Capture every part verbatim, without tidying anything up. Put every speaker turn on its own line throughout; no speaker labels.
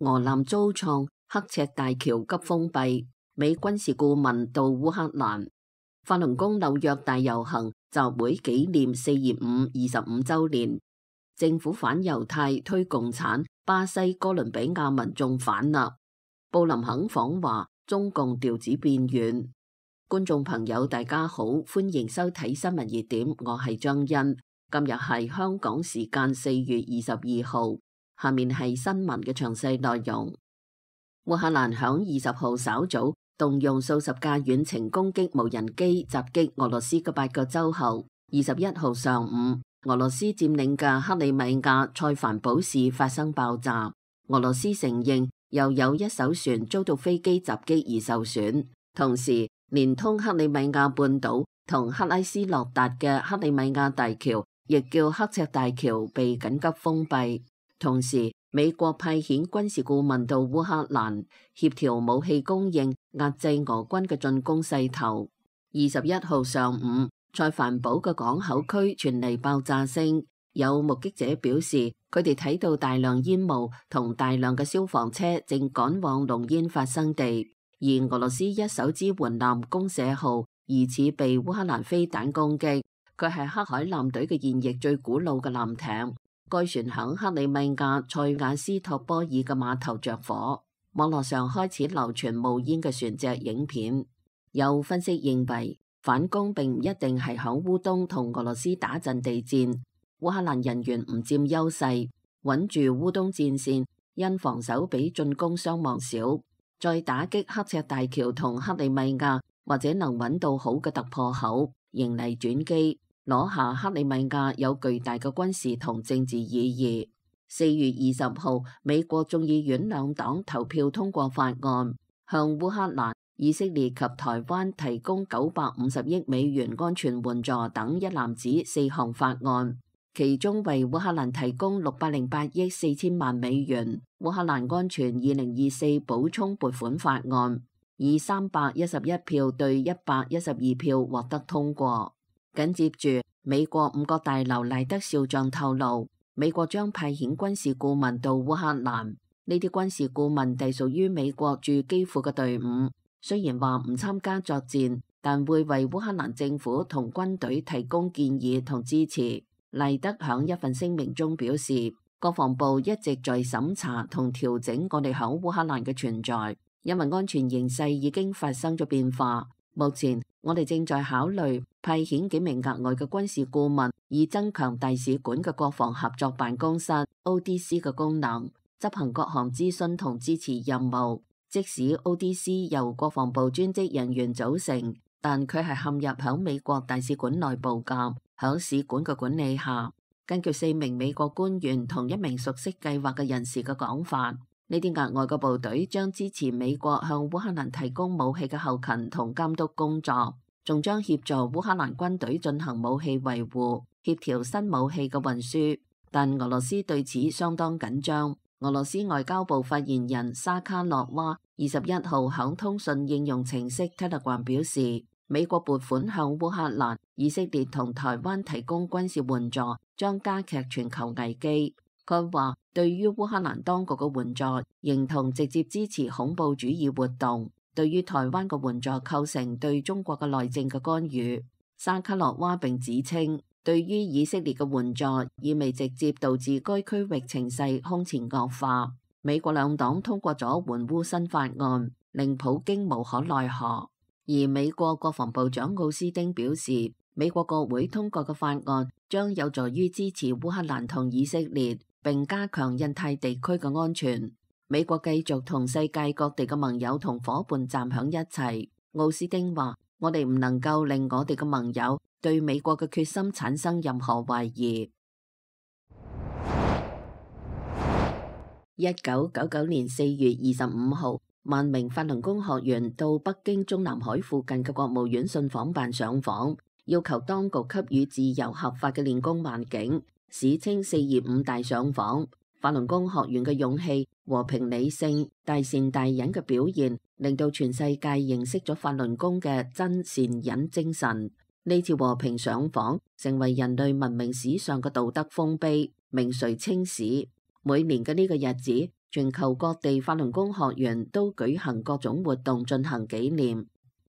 俄艦遭創，刻赤大橋急封閉，美軍事顧問到烏克蘭。法輪功紐約大遊行集會紀念四二五二十五週年，政府反猶太推共產，巴西哥倫比亞民眾反納，布林肯訪華，中共調子變軟。觀眾朋友大家好，歡迎收睇新聞熱點，我係張欣。今日係香港時間四月二十二號，下面係新聞嘅詳細內容。烏克蘭響二十號稍早動用數十架遠程攻擊無人機襲擊俄羅斯嘅八個州後，二十一號上午，俄羅斯佔領嘅克里米亞塞凡堡市發生爆炸。俄羅斯承認又有一艘船遭到飛機襲擊而受損，同時連通克里米亞半島同克拉斯諾達嘅克里米亞大橋，亦叫刻赤大橋，被緊急封閉。同時，美國派遣軍事顧問到烏克蘭協調武器供應，壓制俄軍嘅進攻勢頭。二十一號上午，塞凡堡嘅港口區傳嚟爆炸聲，有目擊者表示，佢哋睇到大量煙霧同大量嘅消防車正趕往濃煙發生地。而俄羅斯一艘支援艦公社號疑似被烏克蘭飛彈攻擊，佢係黑海艦隊嘅現役最古老嘅艦艇。該船響克里米亞塞瓦斯托波爾嘅碼頭着火，網絡上開始流傳冒煙嘅船隻影片。有分析認為，反攻並唔一定係響烏東同俄羅斯打陣地戰，烏克蘭人員唔佔優勢，穩住烏東戰線，因防守比進攻傷亡少，再打擊刻赤大橋同克里米亞，或者能揾到好嘅突破口，迎嚟轉機。攞下克里米亞有巨大嘅軍事同政治意義。四月二十號，美國眾議院兩黨投票通過法案，向烏克蘭、以色列及台灣提供九百五十億美元安全援助等一籃子四項法案，其中為烏克蘭提供六百零八億四千萬美元烏克蘭安全二零二四補充撥款法案，以三百一十一票對一百一十二票獲得通過。緊接住，美國五角大樓賴德少將透露，美國將派遣軍事顧問到烏克蘭。呢啲軍事顧問隸屬於美國駐基輔嘅隊伍，雖然話唔參加作戰，但會為烏克蘭政府同軍隊提供建議同支持。賴德響一份聲明中表示，國防部一直在審查同調整我哋響烏克蘭嘅存在，因為安全形勢已經發生咗變化。目前我哋正在考慮派遣幾名額外嘅軍事顧問，以增強大使館嘅國防合作辦公室 O D C 嘅功能，執行各項諮詢同支持任務。即使 O D C 由國防部專職人員組成，但佢係陷入響美國大使館內部嘅，響使館嘅管理下。根據四名美國官員同一名熟悉計劃嘅人士嘅講法，呢啲額外嘅部隊將支持美國向烏克蘭提供武器嘅後勤同監督工作，仲將協助烏克蘭軍隊進行武器維護，協調新武器嘅運輸。但俄羅斯對此相當緊張。俄羅斯外交部發言人沙卡洛娃二十一號響通訊應用程式 Telegram 表示，美國撥款向烏克蘭、以色列同台灣提供軍事援助，將加劇全球危機。佢話對於烏克蘭當局嘅援助，認同直接支持恐怖主義活動；對於台灣嘅援助構成對中國嘅內政嘅干預。沙卡洛娃並指稱，對於以色列嘅援助意味直接導致該區域情勢空前惡化。美國兩黨通過咗援烏新法案，令普京無可奈何。而美國國防部長奧斯汀表示，美國國會通過嘅法案將有助於支持烏克蘭同以色列，並加強印太地區嘅安全。美國繼續同世界各地嘅盟友同夥伴站響一齊。奧斯汀話：我哋唔能夠令我哋嘅盟友對美國嘅決心產生任何懷疑。一九九九年四月二十五號，萬名法輪功學員到北京中南海附近嘅國務院信訪辦上訪，要求當局給予自由合法嘅練功環境，史稱四二五大上訪。法輪功學員嘅勇氣、和平理性、大善大忍嘅表現，令到全世界認識咗法輪功嘅真善忍精神。呢次和平上訪成為人類文明史上嘅道德豐碑，名垂青史。每年嘅呢個日子，全球各地法輪功學員都舉行各種活動進行紀念。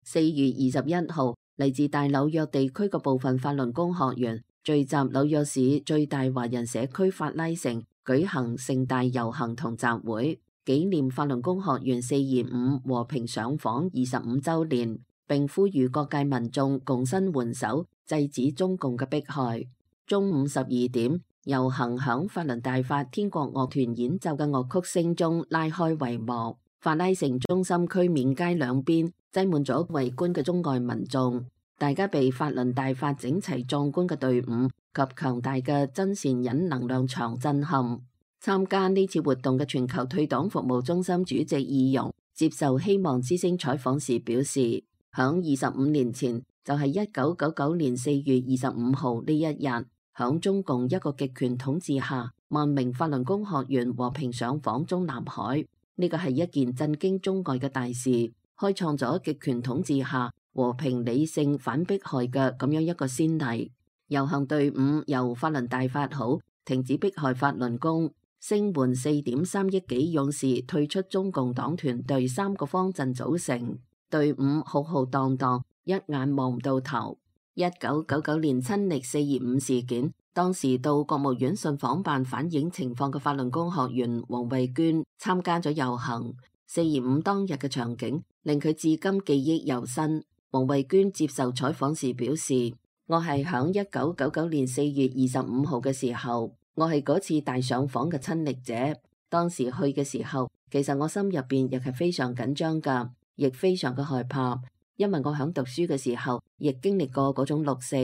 四月二十一號，嚟自大紐約地區嘅部分法輪功學員聚集紐約市最大華人社區法拉盛，舉行盛大遊行同集會，紀念法輪功學員四二五和平上訪二十五週年，並呼籲各界民眾共伸援手，制止中共嘅迫害。中午十二點，遊行響法輪大法天國樂團演奏嘅樂曲聲中拉開帷幕。法拉盛中心區面街兩邊擠滿咗圍觀嘅中外民眾，大家被法輪大法整齊壯觀嘅隊伍及強大嘅真善忍能量場震撼。參加呢次活動嘅全球退黨服務中心主席易容接受希望之聲採訪時表示，響二十五年前，就係一九九九年四月二十五號呢一日，響中共一個極權統治下，萬名法輪功學員和平上訪中南海。呢個係一件震驚中外嘅大事，開創咗極權統治下和平理性反迫害嘅咁樣一個先例。遊行隊伍由法輪大法好，停止迫害法輪功，聲援四點三億幾勇士退出中共黨團隊三個方陣組成，隊伍浩浩蕩蕩，一眼望唔到頭。一九九九年親歷四二五事件，當時到國務院信訪辦反映情況嘅法輪功學員黃慧娟參加咗遊行。四二五當日嘅場景令佢至今記憶猶新。黃慧娟接受採訪時表示，我係響一九九九年四月二十五號嘅時候，我係嗰次大上訪嘅親歷者。當時去嘅時候，其實我心入邊亦係非常緊張噶，亦非常嘅害怕。因為我響讀書嘅時候，亦經歷過嗰種六四，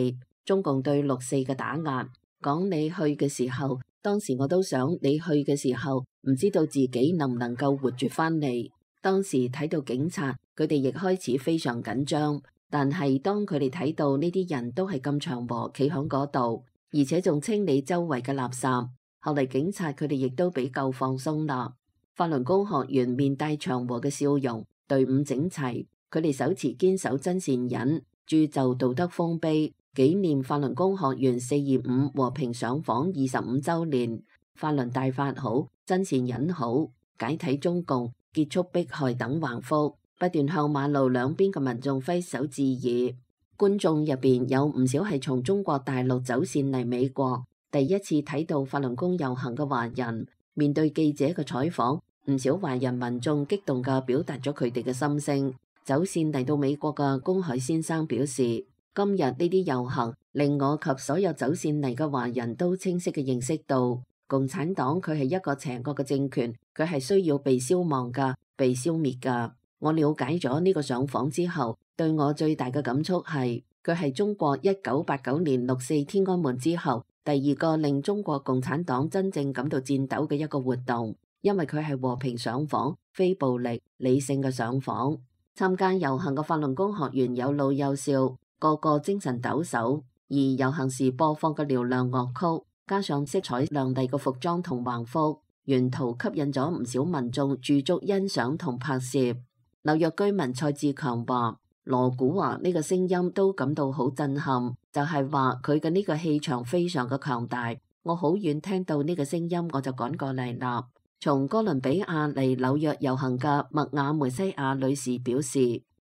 中共對六四嘅打壓。講你去嘅時候，當時我都想你去嘅時候，唔知道自己能唔能夠活住翻嚟。當時睇到警察，佢哋亦開始非常緊張。但係當佢哋睇到呢啲人都係咁祥和企響嗰度，而且仲清理周圍嘅垃圾，後嚟警察佢哋亦都比較放鬆啦。法輪功學員面帶祥和嘅笑容，隊伍整齊。佢哋手持堅守真善忍，鑄就道德豐碑，紀念法輪功學員四二五和平上訪二十五週年。法輪大法好，真善忍好，解體中共，結束迫害等橫幅，不斷向馬路兩邊嘅民眾揮手致意。觀眾入邊有唔少係從中國大陸走線嚟美國，第一次睇到法輪功遊行嘅華人。面對記者嘅採訪，唔少華人民眾激動嘅表達咗佢哋嘅心聲。走線嚟到美國嘅公海先生表示，今日呢啲遊行令我及所有走線嚟嘅華人都清晰嘅認識到，共產黨佢係一個邪惡嘅政權，佢係需要被消亡噶，被消滅噶。我了解咗呢個上訪之後，對我最大嘅感觸係，佢係中國一九八九年六四天安門之後第二個令中國共產黨真正感到顫抖嘅一個活動，因為佢係和平上訪，非暴力理性嘅上訪。參加遊行嘅法輪功學員有老有少，個個精神抖擻。而遊行時播放嘅嘹亮樂曲，加上色彩亮麗嘅服裝同橫幅，沿途吸引咗唔少民眾駐足欣賞同拍攝。紐約居民蔡志強話：羅古華呢個聲音都感到好震撼，就係話佢嘅呢個氣場非常嘅強大。我好遠聽到呢個聲音，我就趕過嚟啦。從哥倫比亞嚟紐約遊行嘅麥亞梅西亞女士表示，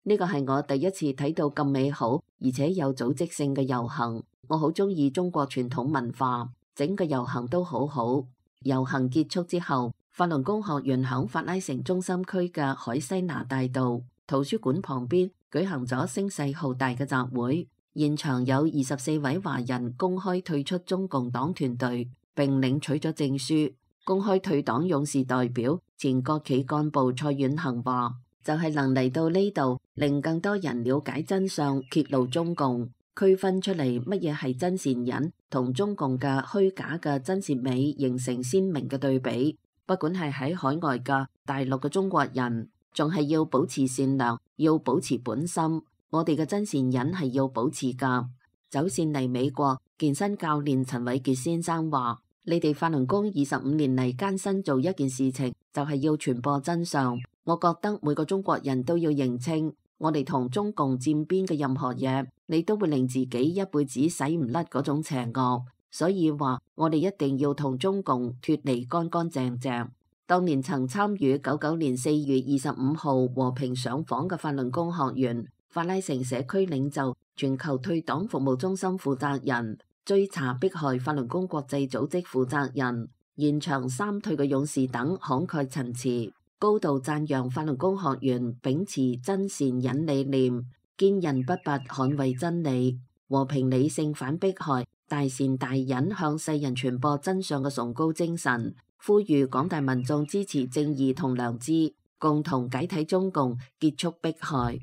呢個係我第一次睇到咁美好而且有組織性嘅遊行。我好中意中國傳統文化，整個遊行都好好。遊行結束之後，法輪功學員響法拉盛中心區嘅海西拿大道圖書館旁邊舉行咗聲勢浩大嘅集會，現場有二十四位華人公開退出中共黨團隊，並領取咗證書。公開退黨勇士代表前國企幹部蔡遠恒話，就係能嚟到呢度，令更多人了解真相，揭露中共，區分出嚟乜嘢係真善忍，同中共嘅虛假嘅真善美形成鮮明嘅對比。不管係喺海外嘅大陸嘅中國人，仲係要保持善良，要保持本心。我哋嘅真善忍係要保持噶。走線嚟美國，健身教練陳偉傑先生話，你哋法輪功二十五年嚟艱辛做一件事情，就係要傳播真相。我覺得每個中國人都要認清，我哋同中共佔邊嘅任何嘢，你都會令自己一輩子洗唔甩嗰種邪惡。所以話我哋一定要同中共脫離乾乾淨淨。當年曾參與九九年四月二十五號和平上訪嘅法輪功學員、法拉盛社區領袖、全球退黨服務中心負責人、追查迫害法輪功國際組織負責人、現場三退嘅勇士等慷慨陳詞，高度讚揚法輪功學員秉持真善忍理念，堅韌不拔捍衛真理，和平理性反迫害，大善大忍向世人傳播真相嘅崇高精神，呼籲廣大民眾支持正義同良知，共同解體中共，結束迫害。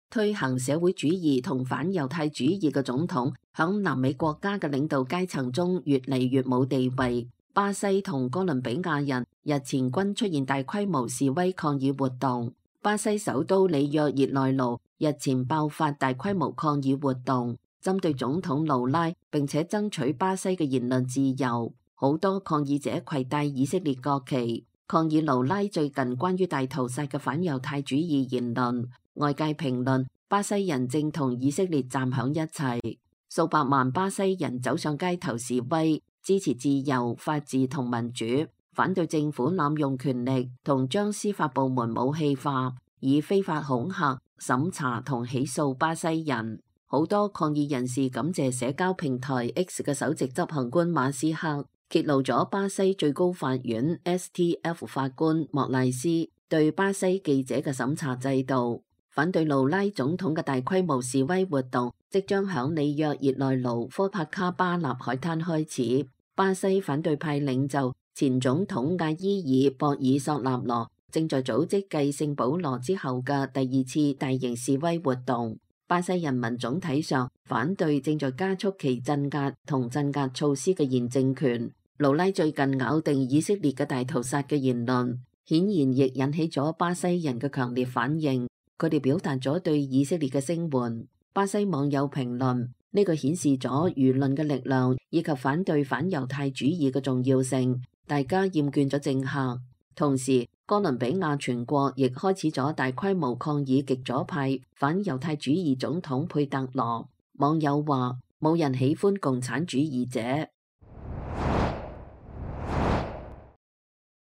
推行社會主義同反猶太主義嘅總統，響南美國家嘅領導階層中越嚟越冇地位。巴西同哥倫比亞人日前均出現大規模示威抗議活動。巴西首都里約熱內盧日前爆發大規模抗議活動，針對總統盧拉，並且爭取巴西嘅言論自由。好多抗議者攜帶以色列國旗，抗議盧拉最近關於大屠殺嘅反猶太主義言論。外界評論，巴西人正同以色列站響一齊，數百萬巴西人走上街頭示威，支持自由、法治同民主，反對政府濫用權力同將司法部門武器化，以非法恐嚇、審查同起訴巴西人。好多抗議人士感謝社交平台 X 嘅首席執行官馬斯克，揭露咗巴西最高法院 S T F 法官莫賴斯對巴西記者嘅審查制度。反對盧拉總統嘅大規模示威活動即將響里約熱內盧科帕卡巴納海灘開始。巴西反對派領袖前總統阿伊爾博爾索納羅正在組織繼聖保羅之後嘅第二次大型示威活動。巴西人民總體上反對正在加速其鎮壓同鎮壓措施嘅現政權。盧拉最近咬定以色列嘅大屠殺嘅言論，顯然亦引起咗巴西人嘅強烈反應。佢哋表達咗對以色列嘅聲援。巴西網友評論，呢個顯示咗輿論嘅力量以及反對反猶太主義嘅重要性。大家厭倦咗政客。同時，哥倫比亞全國亦開始咗大規模抗議極左派反猶太主義總統佩特羅。網友話，冇人喜歡共產主義者。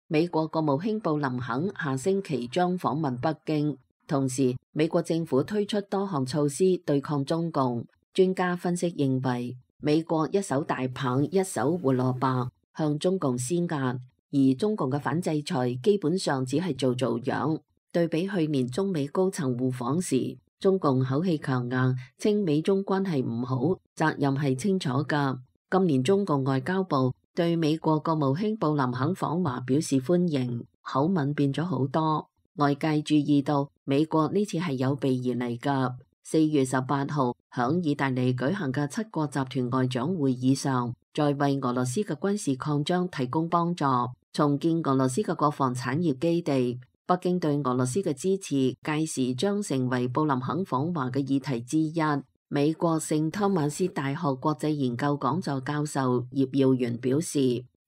美國國務卿布林肯下星期將訪問北京。同時，美國政府推出多項措施對抗中共。專家分析認為，美國一手大棒一手胡蘿蔔向中共施壓，而中共嘅反制裁基本上只係做做樣。對比去年中美高層互訪時，中共口氣強硬，稱美中關係唔好，責任係清楚㗎。今年中共外交部對美國國務卿布林肯訪華表示歡迎，口吻變咗好多。外界注意到美國呢次係有備而嚟㗎。四月十八號響意大利舉行嘅七國集團外長會議上，在為俄羅斯嘅軍事擴張提供幫助，重建俄羅斯嘅國防產業基地。北京對俄羅斯嘅支持屆時將成為布林肯訪華嘅議題之一。美國聖托馬斯大學國際研究講座教授葉耀元表示，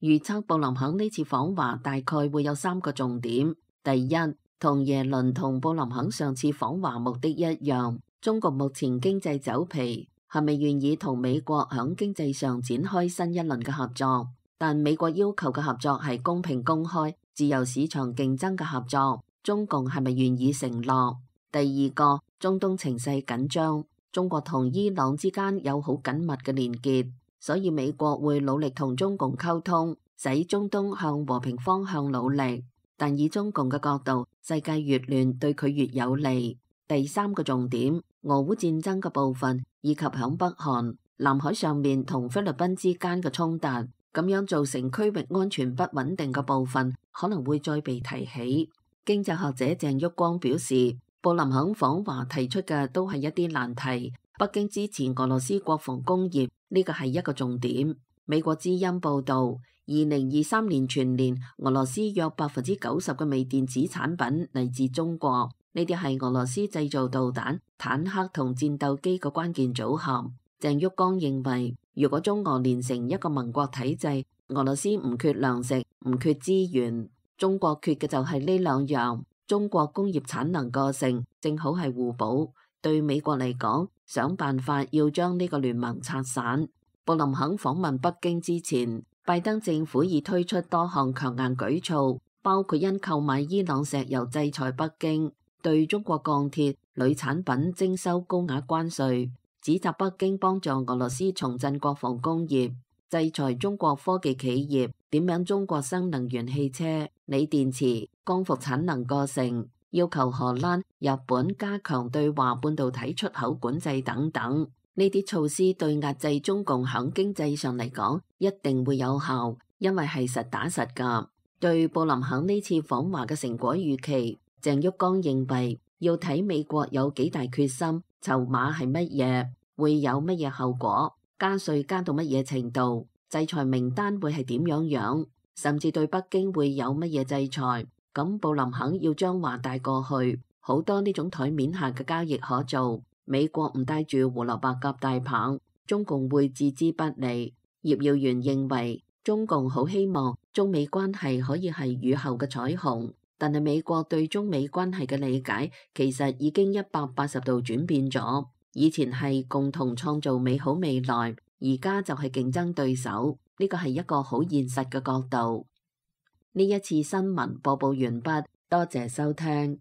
預測布林肯呢次訪華大概會有三個重點。第一，同耶倫同布林肯上次訪華目的一樣，中國目前經濟走皮，係咪願意同美國響經濟上展開新一輪嘅合作？但美國要求嘅合作係公平公開、自由市場競爭嘅合作，中共係咪願意承諾？第二個，中東情勢緊張，中國同伊朗之間有好緊密嘅連結，所以美國會努力同中共溝通，使中東向和平方向努力。但以中共嘅角度，世界越亂對佢越有利。第三個重點，俄烏戰爭嘅部分，以及響北韓、南海上面同菲律賓之間嘅衝突，咁樣造成區域安全不穩定嘅部分，可能會再被提起。經濟學者鄭旭光表示，布林肯訪華提出嘅都係一啲難題，北京支持俄羅斯國防工業，呢個係一個重點。美國之音報道，二零二三年全年俄羅斯約百分之九十嘅微電子產品嚟自中國，呢啲係俄羅斯製造導彈、坦克同戰鬥機嘅關鍵組合。鄭旭光認為，如果中俄連成一個盟國體制，俄羅斯唔缺糧食，唔缺資源，中國缺嘅就係呢兩樣。中國工業產能過剩，正好係互補。對美國嚟講，想辦法要將呢個聯盟拆散。布林肯訪問北京之前，拜登政府已推出多項強硬舉措，包括因購買伊朗石油制裁北京，對中國鋼鐵、鋁產品徵收高額關稅，指責北京幫助俄羅斯重振國防工業，制裁中國科技企業，點名中國新能源汽車、鋰電池、光伏產能過剩，要求荷蘭、日本加強對華半導體出口管制等等。呢啲措施對壓制中共響經濟上嚟講一定會有效，因為係實打實㗎。對布林肯呢次訪華嘅成果預期，鄭旭光認為要睇美國有幾大決心，籌碼係乜嘢，會有乜嘢後果，加稅加到乜嘢程度，制裁名單會係點樣樣，甚至對北京會有乜嘢制裁。咁布林肯要將話帶過去，好多呢種台面下嘅交易可做。美國唔帶住胡蘿蔔夾大棒，中共會置之不理。葉耀元認為中共好希望中美關係可以係雨後嘅彩虹，但係美國對中美關係嘅理解其實已經一百八十度轉變咗。以前係共同創造美好未來，而家就係競爭對手。呢個係一個好現實嘅角度。呢一次新聞播報完畢，多謝收聽。